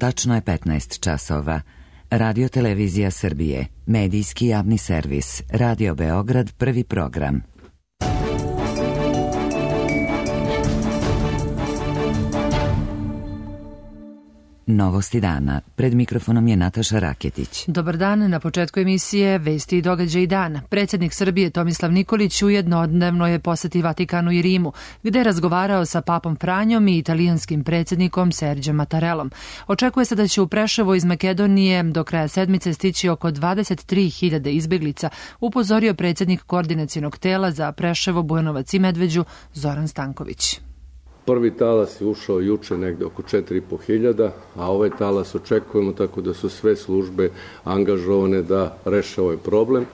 Tačno je 15 časova. Radio Televizija Srbije, medijski javni servis, Radio Beograd, prvi program. Novosti dana. Pred mikrofonom je Nataša Raketić. Dobar dan, na početku emisije Vesti i događaji dana. Predsjednik Srbije Tomislav Nikolić ujednodnevno je poseti Vatikanu i Rimu, gde je razgovarao sa papom Franjom i italijanskim predsjednikom Serđom Mattarellom. Očekuje se da će u Preševo iz Makedonije do kraja sedmice stići oko 23.000 izbeglica, upozorio predsjednik koordinacionog tela za Preševo, Bujanovac i Medveđu Zoran Stanković. Prvi talas je ušao juče negde oko 4.500, a ovaj talas očekujemo, tako da su sve službe angažovane da reše ovaj problem.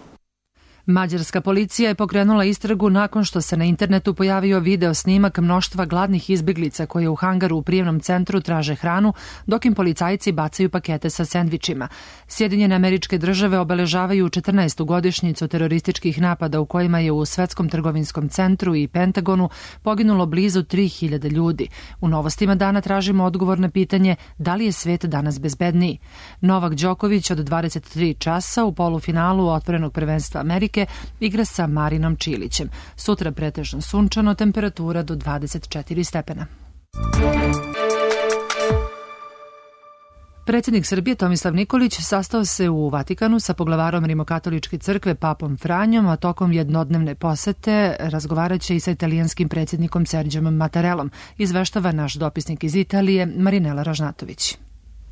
Mađarska policija je pokrenula istragu nakon što se na internetu pojavio video snimak mnoštva gladnih izbeglica koje u hangaru u prijemnom centru traže hranu, dok im policajci bacaju pakete sa sendvičima. Sjedinjene Američke Države obeležavaju 14. godišnjicu terorističkih napada u kojima je u Svetskom trgovinskom centru i Pentagonu poginulo blizu 3.000 ljudi. U novostima dana tražimo odgovor na pitanje da li je svet danas bezbedniji. Novak Đoković od 23 časa u polufinalu otvorenog prvenstva Amerike igra sa Marinom Čilićem. Sutra pretežno sunčano, temperatura do 24 stepena. Predsjednik Srbije Tomislav Nikolić sastao se u Vatikanu sa poglavarom Rimokatoličke crkve papom Franjom, a tokom jednodnevne posete razgovaraće i sa italijanskim predsjednikom Serđom Mattarellom, izveštava naš dopisnik iz Italije Marinela Ražnatović.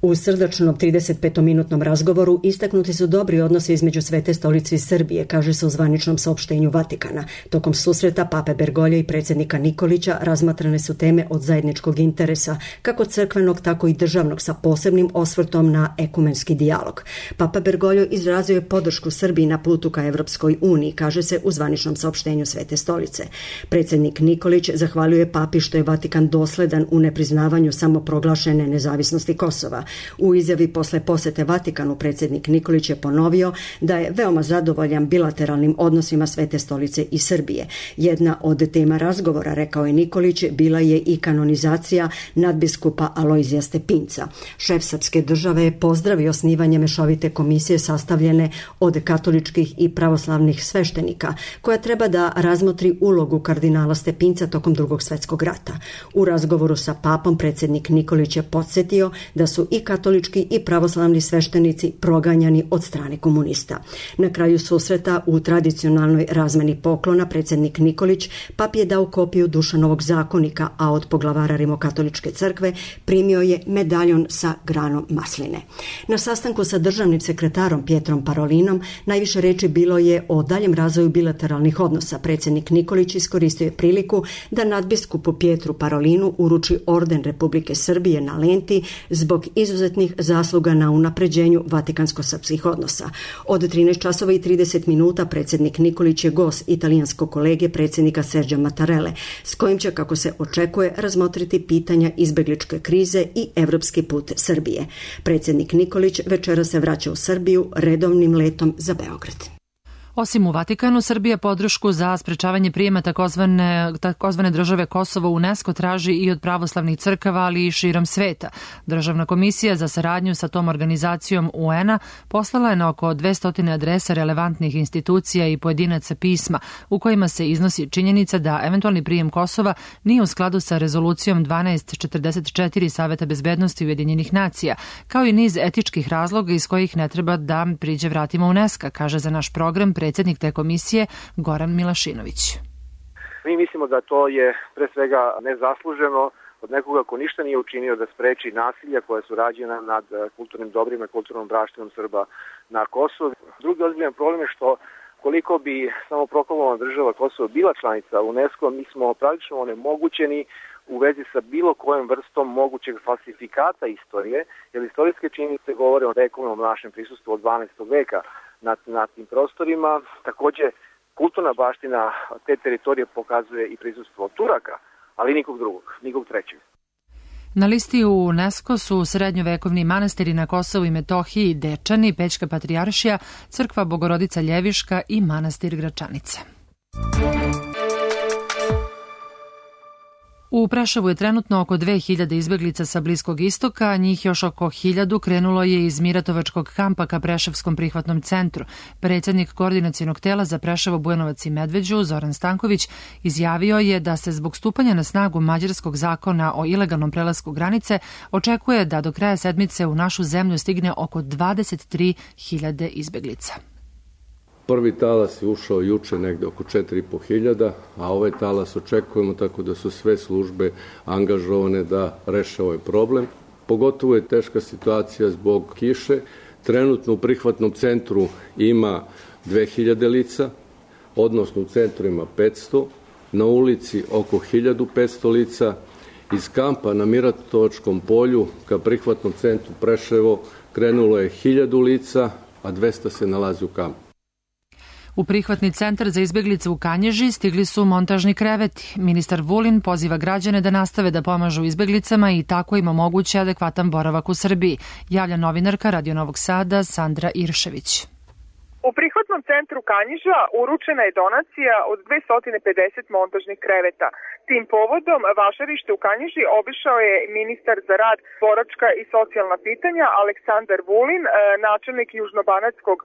U srdačnom 35-minutnom razgovoru istaknuti su dobri odnosi između Svete stolice i Srbije, kaže se u zvaničnom saopštenju Vatikana. Tokom susreta pape Bergolja i predsjednika Nikolića razmatrane su teme od zajedničkog interesa, kako crkvenog, tako i državnog, sa posebnim osvrtom na ekumenski dijalog. Papa Bergoglio izrazio je podršku Srbiji na putu ka Evropskoj uniji, kaže se u zvaničnom saopštenju Svete stolice. Predsjednik Nikolić zahvaljuje papi što je Vatikan dosledan u nepriznavanju samoproglašene nezavisnosti Kosova. U izjavi posle posete Vatikanu predsjednik Nikolić je ponovio da je veoma zadovoljan bilateralnim odnosima Svete stolice i Srbije. Jedna od tema razgovora, rekao je Nikolić, bila je i kanonizacija nadbiskupa Alojzija Stepinca. Šef srpske države je pozdravio osnivanje mešovite komisije sastavljene od katoličkih i pravoslavnih sveštenika, koja treba da razmotri ulogu kardinala Stepinca tokom Drugog svjetskog rata. U razgovoru sa papom predsjednik Nikolić je podsjetio da su i katolički i pravoslavni sveštenici proganjani od strane komunista. Na kraju susreta u tradicionalnoj razmeni poklona predsjednik Nikolić papi je dao kopiju Dušanovog zakonika, a od poglavara Rimokatoličke crkve primio je medaljon sa granom masline. Na sastanku sa državnim sekretarom Pietrom Parolinom najviše reči bilo je o daljem razvoju bilateralnih odnosa. Predsjednik Nikolić iskoristio je priliku da nadbiskupu Pietru Parolinu uruči orden Republike Srbije na lenti zbog izuzetnih zasluga na unapređenju vatikansko-srpskih odnosa. Od 13:30 predsjednik Nikolić je gost italijanskog kolege predsjednika Serđa Mattarelle, s kojim će, kako se očekuje, razmotriti pitanja izbegličke krize i evropski put Srbije. Predsjednik Nikolić večera se vraća u Srbiju redovnim letom za Beograd. Osim u Vatikanu, Srbija podršku za sprečavanje prijema takozvane države Kosovo u UNESCO traži i od pravoslavnih crkava, ali i širom sveta. Državna komisija za saradnju sa tom organizacijom UN-a poslala je na oko 200 adresa relevantnih institucija i pojedinaca pisma u kojima se iznosi činjenica da eventualni prijem Kosova nije u skladu sa rezolucijom 1244 Saveta bezbednosti Ujedinjenih nacija, kao i niz etičkih razloga iz kojih ne treba da priđe vratima UNESCO, kaže za naš program predsjednik te komisije Goran Milašinović. Mi mislimo da to je pre svega nezasluženo od nekoga ko ništa nije učinio da spreči nasilja koja su rađena nad kulturnim dobrima i kulturnom braštinom Srba na Kosovu. Drugi ozbiljan problem je što koliko bi samo proklamovana država Kosovo bila članica UNESCO, mi smo praktično onemogućeni u vezi sa bilo kojom vrstom mogućeg falsifikata istorije, jer istorijske činjenice govore o vekovnom našem prisustvu od 12. veka na tim prostorima. Također, kulturna baština te teritorije pokazuje i prisustvo Turaka, ali nikog drugog, nikog trećeg. Na listi u UNESCO su srednjovekovni manastiri na Kosovu i Metohiji, Dečani, Pećka patrijaršija, crkva Bogorodica Ljeviška i manastir Gračanica. U Preševu je trenutno oko 2000 izbeglica sa Bliskog istoka, njih još oko 1000 krenulo je iz Miratovačkog kampa ka Preševskom prihvatnom centru. Predsjednik koordinacionog tela za Preševo, Bujanovac i Medveđu, Zoran Stanković, izjavio je da se zbog stupanja na snagu mađarskog zakona o ilegalnom prelasku granice očekuje da do kraja sedmice u našu zemlju stigne oko 23.000 izbeglica. Prvi talas je ušao juče negde oko 4.500, a ovaj talas očekujemo, tako da su sve službe angažovane da reše ovaj problem. Pogotovo je teška situacija zbog kiše. Trenutno u prihvatnom centru ima 2000 lica, odnosno u centru ima 500, na ulici oko 1500 lica. Iz kampa na Miratovačkom polju ka prihvatnom centru Preševo krenulo je 1000 lica, a 200 se nalazi u kampu. U prihvatni centar za izbeglice u Kanjiži stigli su montažni kreveti. Ministar Vulin poziva građane da nastave da pomažu izbeglicama i tako im omoguće adekvatan boravak u Srbiji, javlja novinarka Radio Novog Sada Sandra Iršević. U prihvatnom centru Kanjiža uručena je donacija od 250 montažnih kreveta. Tim povodom vašarište u Kanjiži obišao je ministar za rad, boračka i socijalna pitanja Aleksandar Vulin, načelnik Južnobanatskog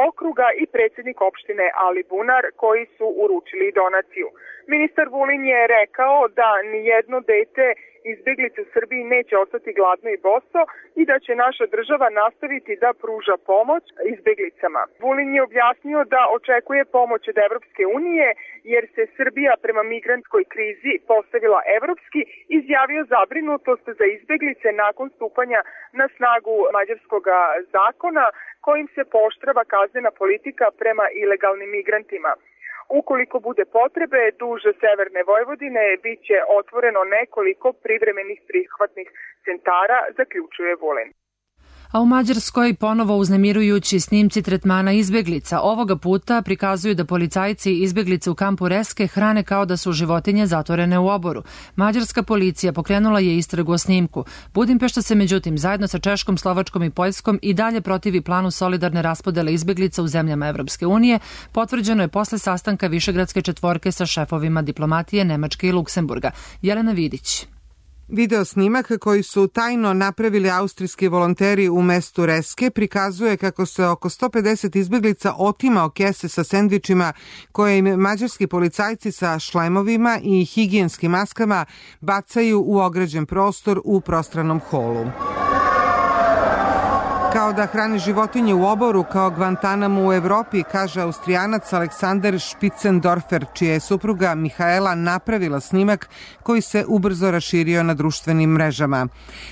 okruga i predsjednik opštine Ali Bunar, koji su uručili donaciju. Ministar Vulin je rekao da nijedno dete izbeglice u Srbiji neće ostati gladno i boso i da će naša država nastaviti da pruža pomoć izbeglicama. Vulin je objasnio da očekuje pomoć od Evropske unije jer se Srbija prema migrantskoj krizi postavila evropski, izjavio zabrinutost za izbeglice nakon stupanja na snagu mađarskog zakona kojim se pooštrava kaznena politika prema ilegalnim migrantima. Ukoliko bude potrebe, duž severne Vojvodine biće otvoreno nekoliko privremenih prihvatnih centara, zaključuje Vulin. A u Mađarskoj ponovo uznemirujući snimci tretmana izbeglica. Ovoga puta prikazuju da policajci izbeglice u kampu Reske hrane kao da su životinje zatvorene u oboru. Mađarska policija pokrenula je istragu o snimku. Budimpešta se međutim zajedno sa Češkom, Slovačkom i Poljskom i dalje protivi planu solidarne raspodele izbeglica u zemljama Evropske unije. Potvrđeno je posle sastanka Višegradske četvorke sa šefovima diplomatije Nemačke i Luksemburga. Jelena Vidić. Video snimak koji su tajno napravili austrijski volonteri u mestu Reske prikazuje kako se oko 150 izbeglica otima o kese sa sendvičima koje im mađarski policajci sa šlemovima i higijenskim maskama bacaju u ograđen prostor u prostranom holu. Kao da hrani životinje u oboru, kao Guantanamo u Evropi, kaže Austrijanac Aleksander Spicendorfer, čija je supruga Mihaela napravila snimak koji se ubrzo raširio na društvenim mrežama.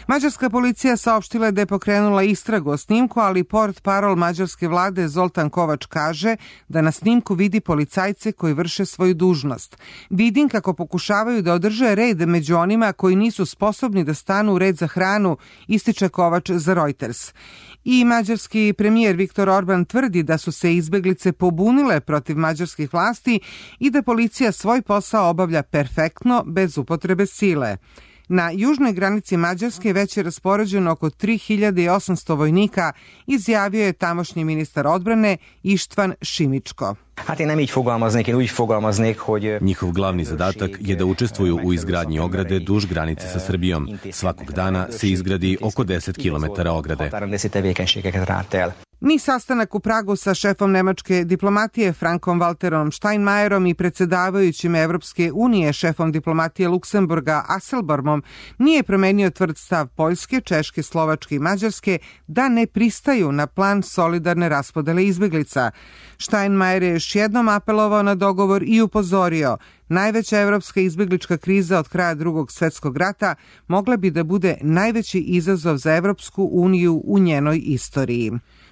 Mađarska policija saopštila je da je pokrenula istragu o snimku, ali portparol mađarske vlade Zoltan Kovač kaže da na snimku vidi policajce koji vrše svoju dužnost. Vidim kako pokušavaju da održe red među onima koji nisu sposobni da stanu u red za hranu, ističe Kovač za Reuters. I mađarski premijer Viktor Orban tvrdi da su se izbeglice pobunile protiv mađarskih vlasti i da policija svoj posao obavlja perfektno, bez upotrebe sile. Na južnoj granici Mađarske već je raspoređeno oko 3800 vojnika, izjavio je tamošnji ministar odbrane Ištvan Šimičko. Njihov glavni zadatak je da učestvuju u izgradnji ograde duž granice sa Srbijom. Svakog dana se izgradi oko 10 km ograde. Ni sastanak u Pragu sa šefom nemačke diplomatije Frankom Walterom Steinmeierom i predsjedavajućim Evropske unije šefom diplomatije Luksemburga Asselbormom nije promenio tvrd stav Poljske, Češke, Slovačke i Mađarske da ne pristaju na plan solidarne raspodele izbeglica. Steinmeier je još jednom apelovao na dogovor i upozorio: najveća evropska izbeglička kriza od kraja Drugog svjetskog rata mogla bi da bude najveći izazov za Evropsku uniju u njenoj istoriji.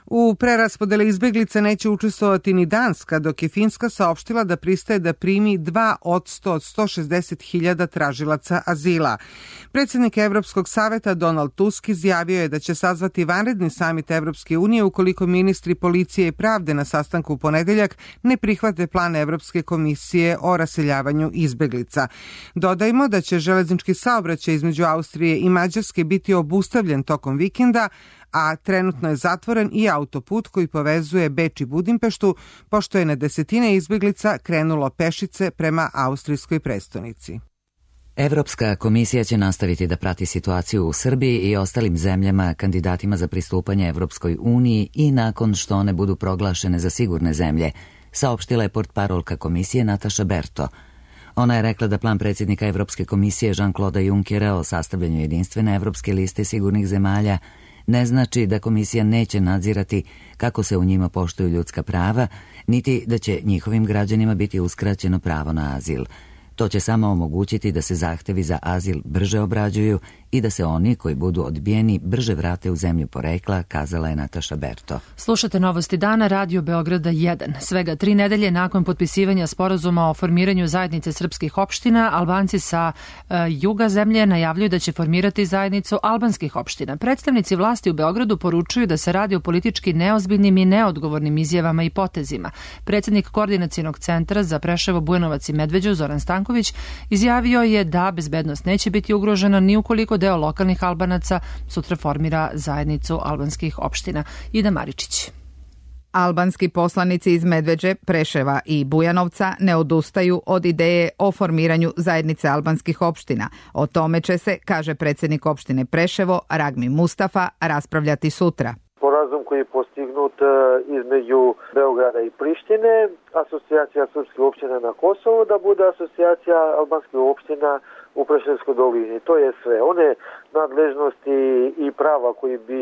U preraspodeli izbeglica neće učestvovati ni Danska, dok je Finska saopštila da pristaje da primi 2 od 160.000 tražilaca azila. Predsjednik Evropskog saveta Donald Tusk izjavio je da će sazvati vanredni samit Evropske unije ukoliko ministri policije i pravde na sastanku u ponedeljak ne prihvate plan Evropske komisije o raseljavanju izbeglica. Dodajmo da će železnički saobraćaj između Austrije i Mađarske biti obustavljen tokom vikenda, a trenutno je zatvoren i autoput koji povezuje Beč i Budimpeštu, pošto je na desetine izbeglica krenulo pešice prema austrijskoj prestonici. Evropska komisija će nastaviti da prati situaciju u Srbiji i ostalim zemljama kandidatima za pristupanje Evropskoj uniji i nakon što one budu proglašene za sigurne zemlje, saopštila je portparolka komisije Nataša Berto. Ona je rekla da plan predsjednika Evropske komisije Jean-Claude Junckera o sastavljanju jedinstvene evropske liste sigurnih zemalja ne znači da komisija neće nadzirati kako se u njima poštuju ljudska prava, niti da će njihovim građanima biti uskraćeno pravo na azil. To će samo omogućiti da se zahtevi za azil brže obrađuju i da se oni koji budu odbijeni brže vrate u zemlju porekla, kazala je Nataša Berto. Slušate Novosti dana, Radio Beograda 1. Svega 3 nedelje nakon potpisivanja sporazuma o formiranju zajednice srpskih opština, Albanci sa juga zemlje najavljuju da će formirati zajednicu albanskih opština. Predstavnici vlasti u Beogradu poručuju da se radi o politički neozbiljnim i neodgovornim izjavama i potezima. Predsjednik Koordinacionog centra za Preševo, Bujanovac i Medveđu, Zoran Stanković, izjavio je da bezbednost neće biti ugrožena ni ukoliko deo lokalnih Albanaca sutra formira zajednicu albanskih opština. Ida Maričić. Albanski poslanici iz Medveđe, Preševa i Bujanovca ne odustaju od ideje o formiranju zajednice albanskih opština. O tome će se, kaže predsjednik opštine Preševo, Ragmi Mustafa, raspravljati sutra. Sporazum koji je postignut između Beograda i Prištine, asocijacija srpskih opština na Kosovu, da bude asocijacija albanskih opština u Preševskoj dolini. To je sve. One nadležnosti i prava koji bi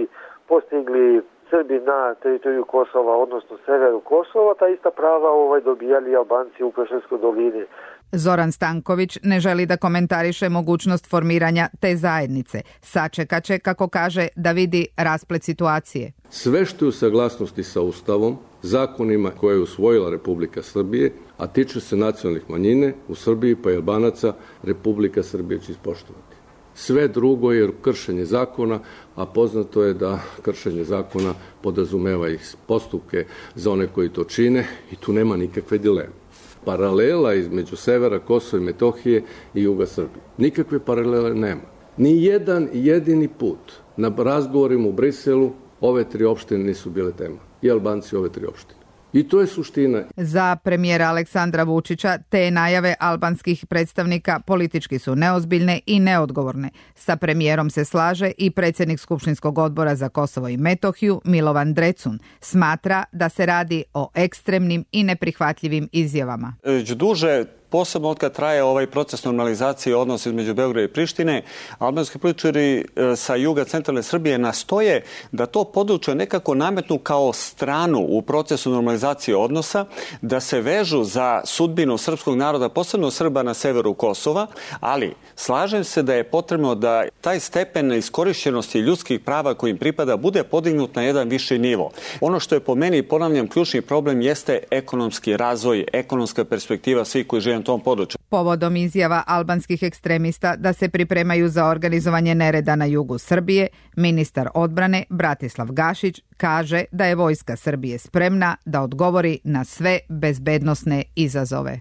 postigli Srbi na teritoriju Kosova, odnosno severu Kosova, ta ista prava dobijali Albanci u Preševskoj dolini. Zoran Stanković ne želi da komentariše mogućnost formiranja te zajednice. Sačekaće, kako kaže, da vidi rasplet situacije. Sve što je u saglasnosti sa Ustavom, zakonima koje je usvojila Republika Srbije, a tiče se nacionalnih manjine u Srbiji pa i Albanaca, Republika Srbije će ispoštovati. Sve drugo je kršenje zakona, a poznato je da kršenje zakona podrazumeva i postupke za one koji to čine i tu nema nikakve dileme. Paralela između severa Kosova i Metohije i juga Srbije. Nikakve paralele nema. Ni jedan jedini put na razgovorima u Briselu ove 3 opštine nisu bile tema. I Albanci ove 3 opštine. I to je suština. Za premijera Aleksandra Vučića te najave albanskih predstavnika politički su neozbiljne i neodgovorne. Sa premijerom se slaže i predsjednik Skupštinskog odbora za Kosovo i Metohiju Milovan Drecun. Smatra da se radi o ekstremnim i neprihvatljivim izjavama. Duže, posebno od kad traje ovaj proces normalizacije odnosa između Beograda i Prištine, albanski političari sa juga centralne Srbije nastoje da to područje nekako nametnu kao stranu u procesu normalizacije odnosa, da se vežu za sudbinu srpskog naroda, posebno Srba na severu Kosova, ali slažem se da je potrebno da taj stepen iskorišćenosti ljudskih prava koji im pripada bude podignut na jedan viši nivo. Ono što je po meni, ponavljam, ključni problem jeste ekonomski razvoj, ekonomska perspektiva svih koji žive na tom području. Povodom izjava albanskih ekstremista da se pripremaju za organizovanje nereda na jugu Srbije, ministar odbrane Bratislav Gašić kaže da je vojska Srbije spremna da odgovori na sve bezbednosne izazove.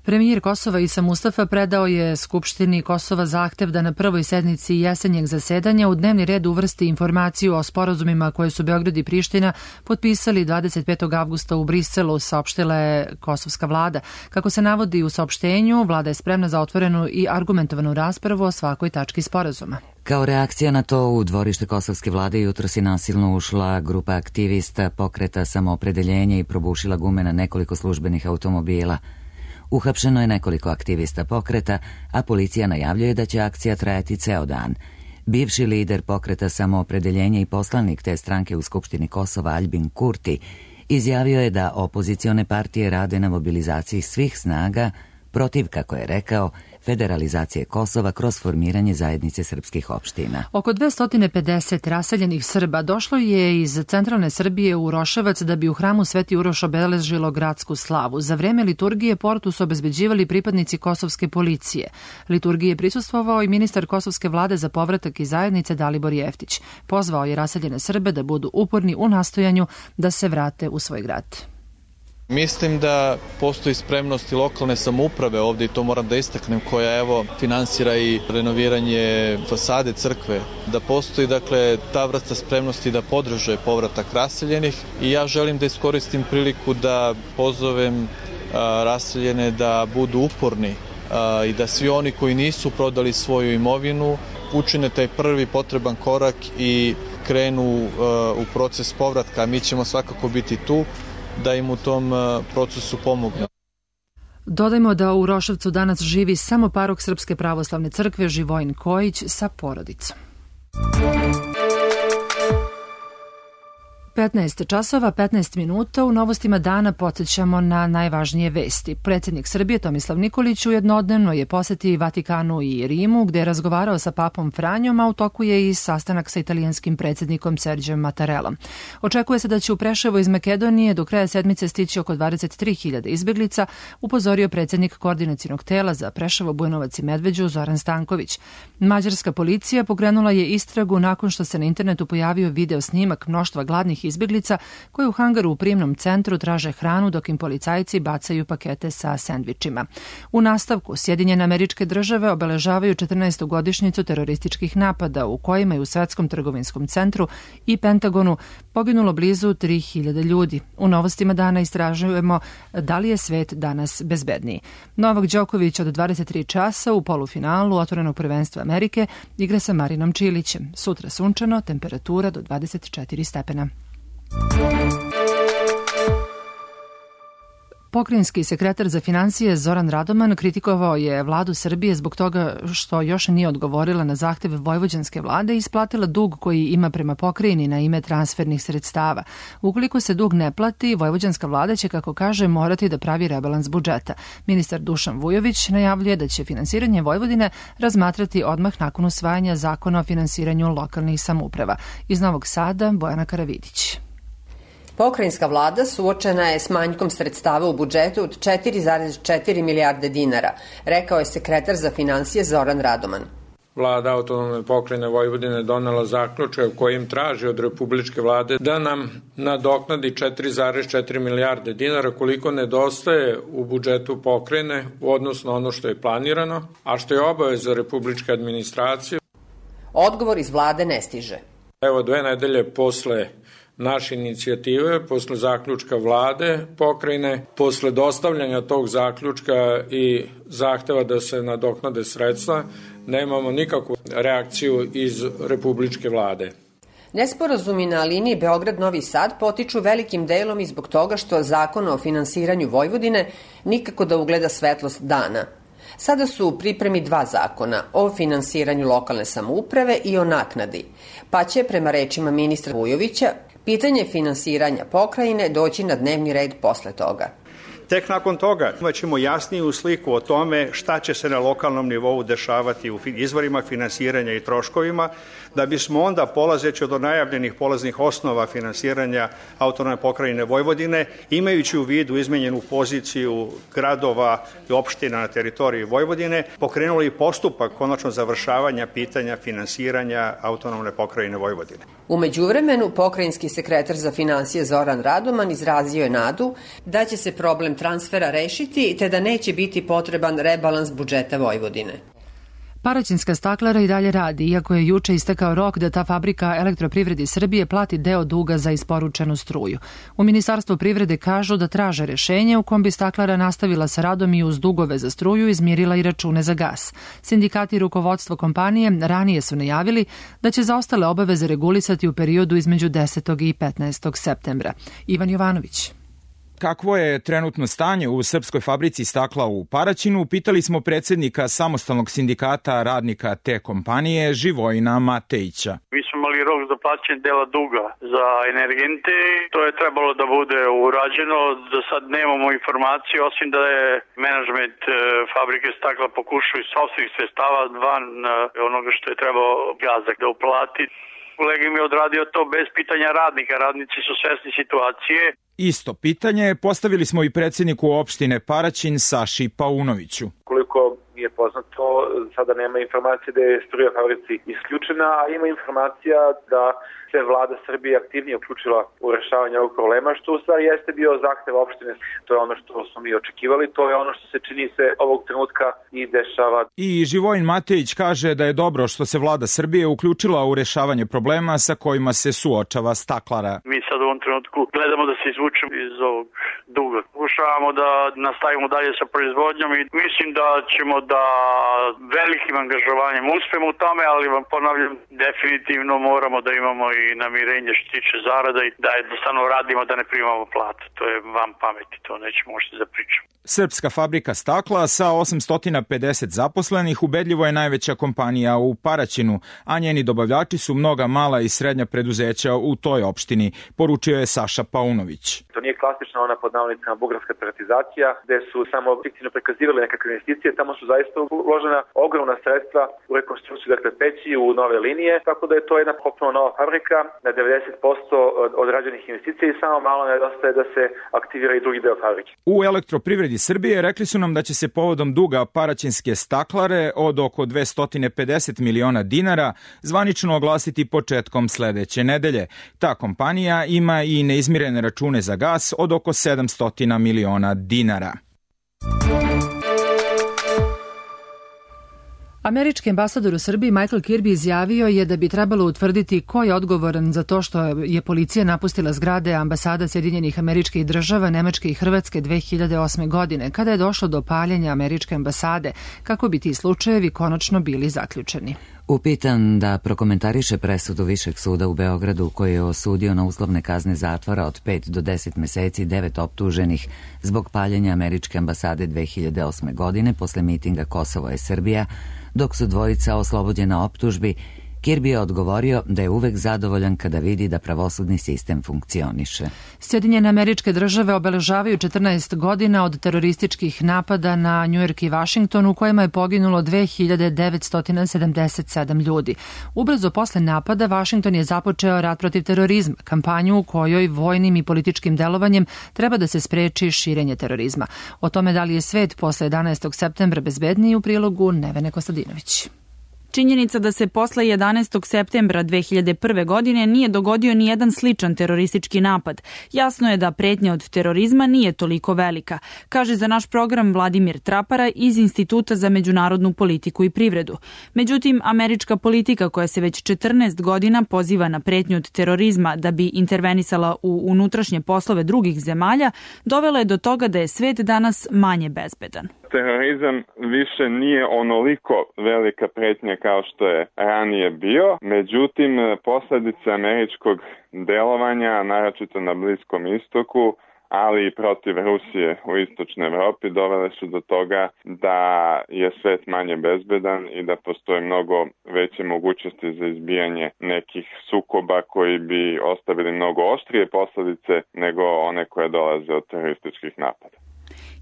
Premijer Kosova Isa Mustafa predao je Skupštini Kosova zahtev da na prvoj sednici jesenjeg zasedanja u dnevni red uvrsti informaciju o sporazumima koje su Beograd i Priština potpisali 25. avgusta u Briselu, saopštila je kosovska vlada. Kako se navodi u saopštenju, vlada je spremna za otvorenu i argumentovanu raspravu o svakoj tački sporazuma. Kao reakcija na to, u dvorište kosovske vlade jutros je nasilno ušla grupa aktivista Pokreta samoopredeljenja i probušila gume na nekoliko službenih automobila. Uhapšeno je nekoliko aktivista pokreta, a policija najavljuje da će akcija trajati ceo dan. Bivši lider Pokreta samoopredeljenja i poslanik te stranke u Skupštini Kosova Aljbin Kurti izjavio je da opozicione partije rade na mobilizaciji svih snaga protiv, kako je rekao, federalizacije Kosova kroz formiranje zajednice srpskih opština. Oko 250 raseljenih Srba došlo je iz centralne Srbije u Roševac da bi u hramu Sveti Uroš obeležilo gradsku slavu. Za vreme liturgije portu su obezbeđivali pripadnici kosovske policije. Liturgiji je prisustvovao i ministar kosovske vlade za povratak i zajednice Dalibor Jeftić. Pozvao je raseljene Srbe da budu uporni u nastojanju da se vrate u svoj grad. Mislim da postoji spremnost i lokalne samouprave ovdje, i to moram da istaknem, koja finansira i renoviranje fasade crkve, da postoji ta vrsta spremnosti da podrže povratak raseljenih, i ja želim da iskoristim priliku da pozovem raseljene da budu uporni i da svi oni koji nisu prodali svoju imovinu učine taj prvi potreban korak i krenu u proces povratka. Mi ćemo svakako biti tu da im u tom procesu pomogne. Dodajmo da u Uroševcu danas živi samo parok Srpske pravoslavne crkve Živojin Kojić sa porodicom. 15 časova, 15 minuta. U novostima dana podsjećamo na najvažnije vesti. Predsjednik Srbije Tomislav Nikolić jednodnevno je poseti Vatikanu i Rimu, gde je razgovarao sa papom Franjom, a u toku je i sastanak sa italijanskim predsjednikom Serđem Mattarellom. Očekuje se da će u Preševo iz Makedonije do kraja sedmice stići oko 23.000 izbeglica, upozorio predsjednik koordinacionog tela za Preševo, Bujanovac i Medveđu Zoran Stanković. Mađarska policija pokrenula je istragu nakon što se na internetu pojavio video snimak mnoštva gladnih izbeglica koji u hangaru u prijemnom centru traže hranu dok im policajci bacaju pakete sa sendvičima. U nastavku Sjedinjene Američke Države obeležavaju 14. godišnjicu terorističkih napada u kojima je u Svetskom trgovinskom centru i Pentagonu poginulo blizu 3.000 ljudi. U novostima dana istražujemo da li je svet danas bezbedniji. Novak Đoković od 23 časa u polufinalu otvorenog prvenstva Amerike igra sa Marinom Čilićem. Sutra sunčano, temperatura do 24 stepena. Pokrajinski sekretar za finansije Zoran Radoman kritikovao je vladu Srbije zbog toga što još nije odgovorila na zahteve vojvođanske vlade i isplatila dug koji ima prema pokrajini na ime transfernih sredstava. Ukoliko se dug ne plati, vojvođanska vlada će, kako kaže, morati da pravi rebalans budžeta. Ministar Dušan Vujović najavljuje da će finansiranje Vojvodine razmatrati odmah nakon usvajanja zakona o finansiranju lokalnih samouprava. Iz Novog Sada, Bojana Karavidić. Pokrajinska vlada suočena je s manjkom sredstava u budžetu od 4,4 milijarde dinara, rekao je sekretar za finansije Zoran Radoman. Vlada autonomne pokrajine Vojvodine donela zaključak kojim traži od republičke vlade da nam nadoknadi 4,4 milijarde dinara koliko nedostaje u budžetu pokrajine u odnosu na ono što je planirano, a što je obaveza republičke administracije. Odgovor iz vlade ne stiže. Evo 2 nedelje posle naše inicijative, posle zaključka vlade pokrajine, posle dostavljanja tog zaključka i zahteva da se nadoknade sredstva, nemamo nikakvu reakciju iz republičke vlade. Nesporazumi na liniji Beograd-Novi Sad potiču velikim delom i zbog toga što zakon o finansiranju Vojvodine nikako da ugleda svetlost dana. Sada su u pripremi 2 zakona, o finansiranju lokalne samouprave i o naknadi, pa će, prema rečima ministra Vujovića, pitanje finansiranja pokrajine doći na dnevni red posle toga. Tek nakon toga imaćemo jasniju sliku o tome šta će se na lokalnom nivou dešavati u izvorima finansiranja i troškovima, da bismo onda, polazeći od najavljenih polaznih osnova finansiranja autonomne pokrajine Vojvodine, imajući u vidu izmenjenu poziciju gradova i opština na teritoriji Vojvodine, pokrenuli postupak konačno završavanja pitanja finansiranja autonomne pokrajine Vojvodine. U međuvremenu, pokrajinski sekretar za finansije Zoran Radoman izrazio je nadu da će se problem transfera rešiti te da neće biti potreban rebalans budžeta Vojvodine. Paraćinska staklara i dalje radi, iako je juče istekao rok da ta fabrika Elektroprivredi Srbije plati deo duga za isporučenu struju. U Ministarstvu privrede kažu da traže rešenje u kom bi staklara nastavila sa radom i uz dugove za struju izmirila i račune za gas. Sindikati i rukovodstvo kompanije ranije su najavili da će zaostale obaveze regulisati u periodu između 10. i 15. septembra. Ivan Jovanović. Kakvo je trenutno stanje u srpskoj fabrici stakla u Paraćinu, pitali smo predsjednika samostalnog sindikata radnika te kompanije Živojina Matejića. Mi smo imali rok za plaćanje dela duga za energente, to je trebalo da bude urađeno, do sad nemamo informacije, osim da je menadžment fabrike stakla pokušao iz sopstvenih sredstava van onoga što je trebao gazak da uplati. Kolega mi je odradio to bez pitanja radnika, radnici su svesni situacije. Isto pitanje postavili smo i predsjedniku opštine Paraćin Saši Paunoviću. Koliko mi je poznato, sada nema informacije da je struja fabrici isključena, a ima informacija da se vlada Srbije aktivnije uključila u rešavanje ovog problema, što u stvari jeste bio zahtev opštine. To je ono što smo mi očekivali, to je ono što se čini se ovog trenutka i dešava. I Živojin Matejić kaže da je dobro što se vlada Srbije uključila u rešavanje problema sa kojima se suočava staklara. Mi sad u ovom trenutku gledamo da se izvučemo iz ovog duga. Pokušavamo da nastavimo dalje sa proizvodnjom i mislim da ćemo da velikim angažovanjem uspemo u tome, ali vam ponavljam, definitivno moramo da imamo i namirenje što tiče zarada i da jednostavno radimo da ne primamo plate. To je van pameti, to nećemo možete da pričamo. Srpska fabrika stakla sa 850 zaposlenih ubedljivo je najveća kompanija u Paraćinu, a njeni dobavljači su mnoga mala i srednja preduzeća u toj opštini, poručio je Saša Paunović. To nije klasična ona pod navodnicama bugarska privatizacija, gde su samo fiktivno prikazivali nekakve investicije, tamo su zaista uložena ogromna sredstva u rekonstrukciju, dakle peći, u nove linije, tako da je to jedna potpuno nova fabrika, na 90% odrađenih investicija i samo malo nedostaje da se aktivira i drugi deo fabrike. U Elektroprivredi Srbije rekli su nam da će se povodom duga paraćinske staklare od oko 250 miliona dinara zvanično oglasiti početkom sledeće nedelje. Ta kompanija ima i neizmirene račune za gas od oko 700 miliona dinara. Američki ambasador u Srbiji Michael Kirby izjavio je da bi trebalo utvrditi ko je odgovoran za to što je policija napustila zgrade ambasada Sjedinjenih Američkih Država, Nemačke i Hrvatske 2008. godine, kada je došlo do paljenja američke ambasade, kako bi ti slučajevi konačno bili zaključeni. Upitan da prokomentariše presudu Višeg suda u Beogradu koji je osudio na uslovne kazne zatvora od 5 do 10 meseci 9 optuženih zbog paljenja američke ambasade 2008. godine posle mitinga Kosovo je Srbija, dok su dvojica oslobođena optužbi, Kirby je odgovorio da je uvek zadovoljan kada vidi da pravosudni sistem funkcioniše. Sjedinjene Američke Države obeležavaju 14 godina od terorističkih napada na Njujork i Vašington u kojima je poginulo 2977 ljudi. Ubrzo posle napada Vašington je započeo rat protiv terorizma, kampanju u kojoj vojnim i političkim delovanjem treba da se spreči širenje terorizma. O tome da li je svet posle 11. septembra bezbedniji u prilogu Nevene Kostadinović. Činjenica da se posle 11. septembra 2001. godine nije dogodio ni jedan sličan teroristički napad. Jasno je da pretnja od terorizma nije toliko velika, kaže za naš program Vladimir Trapara iz Instituta za međunarodnu politiku i privredu. Međutim, američka politika koja se već 14 godina poziva na pretnju od terorizma da bi intervenisala u unutrašnje poslove drugih zemalja, dovela je do toga da je svet danas manje bezbedan. Terorizam više nije onoliko velika pretnja kao što je ranije bio, međutim posledice američkog delovanja, naročito na Bliskom istoku, ali i protiv Rusije u istočnoj Evropi, dovele su do toga da je svet manje bezbedan i da postoje mnogo veće mogućnosti za izbijanje nekih sukoba koji bi ostavili mnogo oštrije posledice nego one koje dolaze od terorističkih napada.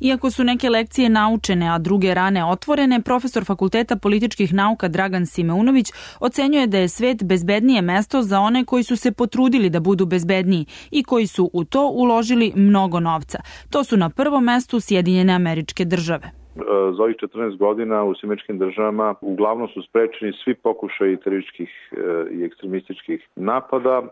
Iako su neke lekcije naučene, a druge rane otvorene, profesor Fakulteta političkih nauka Dragan Simeunović ocenjuje da je svet bezbednije mesto za one koji su se potrudili da budu bezbedniji i koji su u to uložili mnogo novca. To su na prvom mestu Sjedinjene Američke Države. Za ovih 14 godina u Američkim Državama uglavnom su sprečeni svi pokušaji terorističkih i ekstremističkih napada,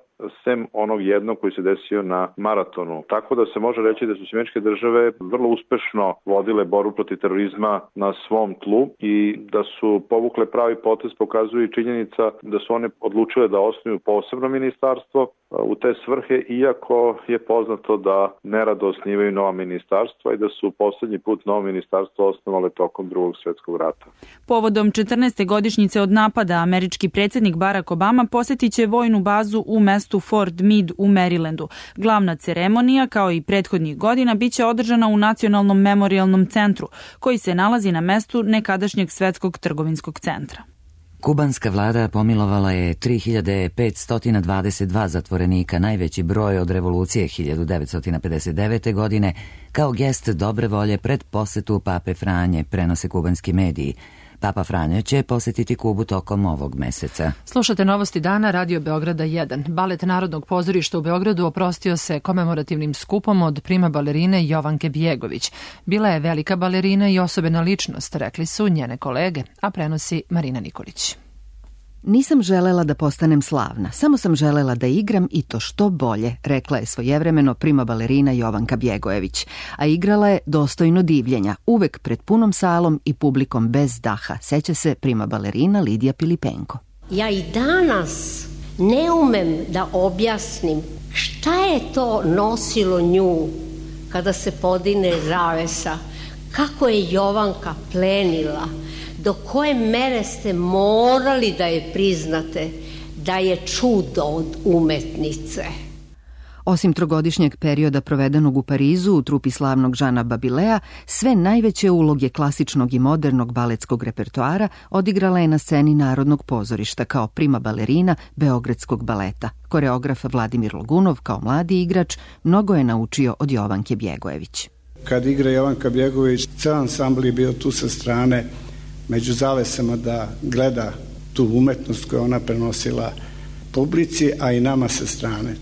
sem onog jednog koji se desio na maratonu. Tako da se može reći da su Američke Države vrlo uspešno vodile borbu protiv terorizma na svom tlu i da su povukle pravi potez, pokazuje i činjenica da su one odlučile da osnuju posebno ministarstvo u te svrhe, iako je poznato da nerado osnivaju nova ministarstva i da su poslednji put novo ministarstvo osnovale tokom Drugog svjetskog rata. Povodom 14. godišnjice od napada, američki predsjednik Barack Obama posjetit će vojnu bazu u mestu Fort Meade u Marylandu. Glavna ceremonija, kao i prethodnih godina, biće održana u Nacionalnom memorijalnom centru, koji se nalazi na mestu nekadašnjeg Svetskog trgovinskog centra. Kubanska vlada pomilovala je 3522 zatvorenika, najveći broj od revolucije 1959. godine, kao gest dobre volje pred posetu Pape Franje, prenose kubanski mediji. Papa Franje će posetiti Kubu tokom ovog meseca. Slušate Novosti dana, Radio Beograda 1. Balet Narodnog pozorišta u Beogradu oprostio se komemorativnim skupom od prima balerine Jovanke Bjegović. Bila je velika balerina i osobena ličnost, rekli su njene kolege, a prenosi Marina Nikolić. Nisam želela da postanem slavna, samo sam želela da igram i to što bolje, rekla je svojevremeno prima balerina Jovanka Bjegojević, a igrala je dostojno divljenja, uvek pred punom salom i publikom bez daha, seća se prima balerina Lidija Pilipenko. Ja i danas ne umem da objasnim šta Šta je to nosilo nju kada se podigne zavesa? Kako je Jovanka plenila? Do koje mere ste morali da je priznate da je čudo od umetnice? Osim trogodišnjeg perioda provedenog u Parizu u trupi slavnog Žana Babilea, sve najveće uloge klasičnog i modernog baletskog repertoara odigrala je na sceni Narodnog pozorišta kao prima balerina Beogradskog baleta. Koreograf Vladimir Logunov kao mladi igrač mnogo je naučio od Jovanke Bjegojević. Kad igra Jovanka Bjegojević, ceo ansambl je bio tu sa strane među zavesama da gleda tu umetnost koju ona prenosila publici, a i nama sa strane.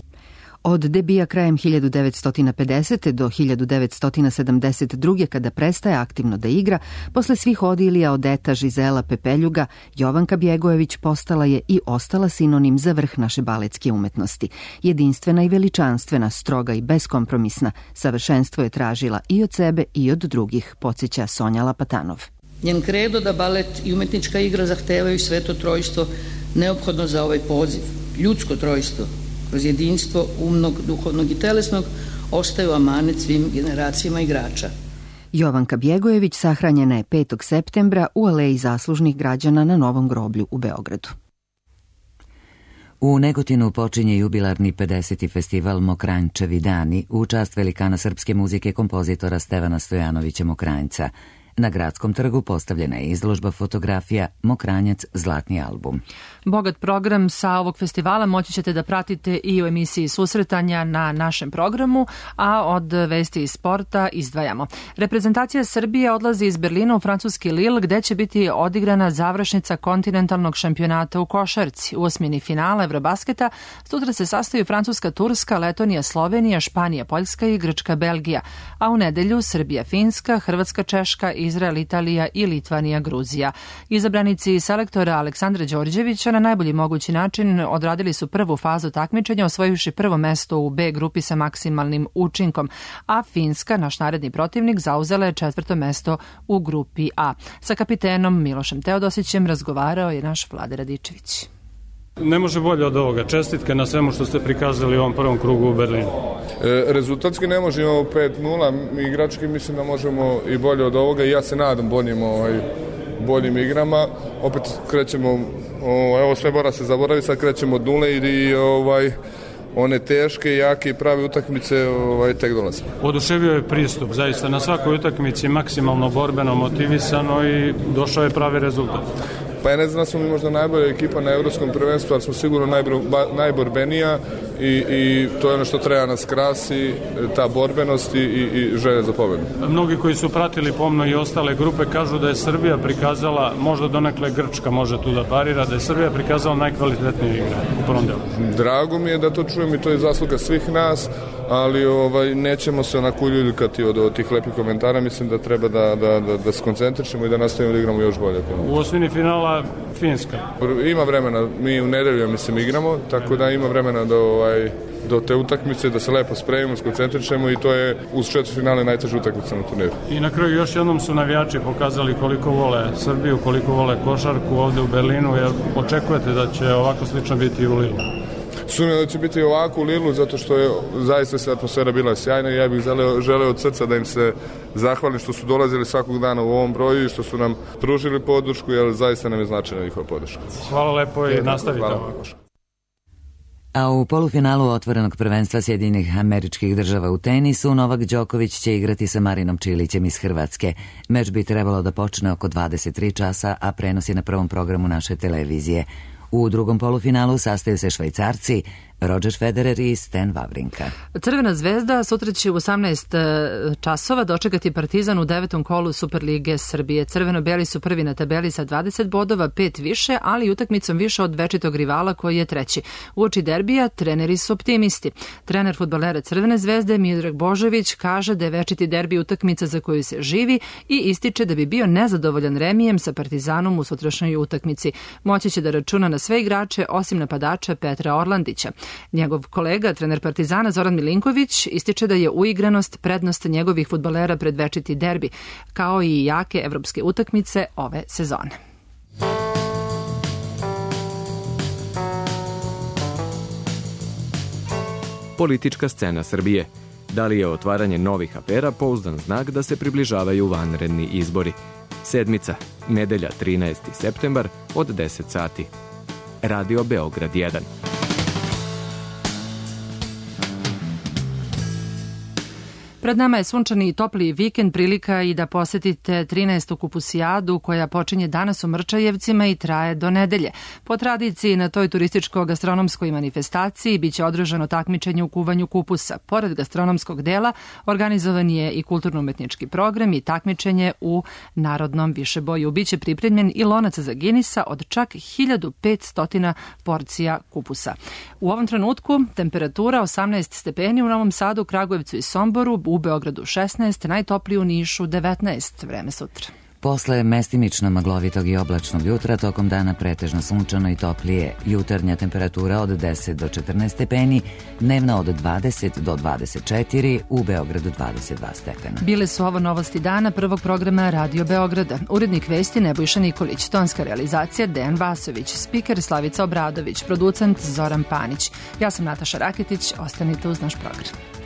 Od debija krajem 1950. do 1972. kada prestaje aktivno da igra, posle svih odilija Odeta, Žizela, Pepeljuga, Jovanka Bjegojević postala je i ostala sinonim za vrh naše baletske umetnosti. Jedinstvena i veličanstvena, stroga i beskompromisna, savršenstvo je tražila i od sebe i od drugih, podsjeća Sonja Lapatanov. Njen kredo da balet i umetnička igra zahtevaju sveto trojstvo neophodno za ovaj poziv. Ljudsko trojstvo, kroz jedinstvo umnog, duhovnog i telesnog, ostaju amanet svim generacijama igrača. Jovanka Bjegojević sahranjena je 5. septembra u Aleji zaslužnih građana na Novom groblju u Beogradu. U Negotinu počinje jubilarni 50. festival Mokranjčevi dani u čast velikana srpske muzike kompozitora Stevana Stojanovića Mokranjca. Na Gradskom trgu postavljena je izložba fotografija Mokranjac zlatni album. Bogat program sa ovog festivala moći ćete da pratite i u emisiji Susretanja na našem programu, a od vesti iz sporta izdvajamo. Reprezentacija Srbije odlazi iz Berlina u francuski Lille, gde će biti odigrana završnica kontinentalnog šampionata u košarci. U osmini finala Evrobasketa sutra se sastaju Francuska, Turska, Letonija, Slovenija, Španija, Poljska i Grčka, Belgija, a u nedelju Srbija, Finska, Hrvatska, Češka, Izrael, Italija i Litvanija, Gruzija. Izabranici selektora Aleksandra Đorđevića na najbolji mogući način odradili su prvu fazu takmičenja, osvojivši prvo mesto u B grupi sa maksimalnim učinkom, a Finska, naš naredni protivnik, zauzela je 4. mesto u grupi A. Sa kapitenom Milošem Teodosićem razgovarao je naš Vlade Radičević. Ne može bolje od ovoga. Čestitke na svemu što ste prikazali u ovom prvom krugu u Berlinu. Rezultatski ne možemo 5-0, igrački mislim da možemo i bolje od ovoga i ja se nadam boljim igrama. Opet krećemo, evo sve mora se zaboraviti, sad krećemo od nule i one teške, jake i prave utakmice tek dolaze. Oduševio je pristup, zaista na svakoj utakmici maksimalno borbeno, motivisano i došao je pravi rezultat. Pa ja ne znam da smo mi možda najbolja ekipa na evropskom prvenstvu, ali smo sigurno najborbenija i to je ono što treba nas krasi, ta borbenost i želja za pobedu. Mnogi koji su pratili pomno i ostale grupe kažu da je Srbija prikazala, možda donekle Grčka može tu da parira, da je Srbija prikazala najkvalitetnije igre u prvom delu. Drago mi je da to čujem i to je zasluga svih nas, ali nećemo se onako uljuljkati od tih lepih komentara, mislim da treba da se koncentrišemo i da nastavimo da igramo još bolje. U osmini finala Finska. Ima vremena, mi u nedelju mislim igramo, tako da ima vremena do te utakmice, da se lepo spremimo, skoncentrišemo i to je uz četvrtfinale najteža utakmica na turniru. I na kraju još jednom su navijači pokazali koliko vole Srbiju, koliko vole košarku ovde u Berlinu, jer očekujete da će ovako slično biti i u Lilu. Sumnjam da će biti ovako u Lilu, zato što je zaista se atmosfera bila sjajna i ja bih želeo od srca da im se zahvalim što su dolazili svakog dana u ovom broju i što su nam pružili podršku, jer zaista nam je značajna njihova podrška. Hvala lepo i nastavite ovako. A u polufinalu otvorenog prvenstva Sjedinjenih Američkih Država u tenisu Novak Đoković će igrati sa Marinom Čilićem iz Hrvatske. Meč bi trebalo da počne oko 23 časa, a prenos je na prvom programu naše televizije. U drugom polufinalu sastaju se Švajcarci, Roger Federer i Stan Wawrinka. Crvena zvezda sutra će u 18 časova dočekati Partizan u 9. kolu Superlige Srbije. Crveno-beli su prvi na tabeli sa 20 bodova, 5 više, ali utakmicom više od večitog rivala koji je treći. Uoči derbija treneri su optimisti. Trener fudbalera Crvene zvezde Miodrag Božović kaže da je večiti derbi utakmica za koju se živi i ističe da bi bio nezadovoljan remijem sa Partizanom u sutrašnjoj utakmici. Moći će da računa na sve igrače osim napadača Petra Orlandića. Njegov kolega, trener Partizana Zoran Milinković, ističe da je uigranost prednost njegovih fudbalera pred večiti derbi, kao i jake evropske utakmice ove sezone. Politička scena Srbije. Da li je otvaranje novih afera pouzdan znak da se približavaju vanredni izbori? Sedmica, nedelja 13. septembar od 10 sati. Radio Beograd 1. Pred nama je sunčani i topli vikend, prilika i da posetite 13. kupusijadu koja počinje danas u Mrčajevcima i traje do nedelje. Po tradiciji na toj turističko-gastronomskoj manifestaciji biće održano takmičenje u kuvanju kupusa. Pored gastronomskog dela organizovan je i kulturno-umetnički program i takmičenje u narodnom višeboju. Biće pripremljen i lonac za Ginisa od čak 1500 porcija kupusa. U ovom trenutku temperatura 18 stepeni u Novom Sadu, Kragujevcu i Somboru, u Beogradu 16, najtopliji u Nišu 19, vreme sutra. Posle mestimično maglovitog i oblačnog jutra, tokom dana pretežno sunčano i toplije. Jutarnja temperatura od 10 do 14 stepeni, dnevna od 20 do 24, u Beogradu 22 stepena. Bile su ovo novosti dana prvog programa Radio Beograda. Urednik vesti Nebojša Nikolić, tonska realizacija Dejan Vasović, spiker Slavica Obradović, producent Zoran Panić. Ja sam Nataša Raketić, ostanite uz naš program.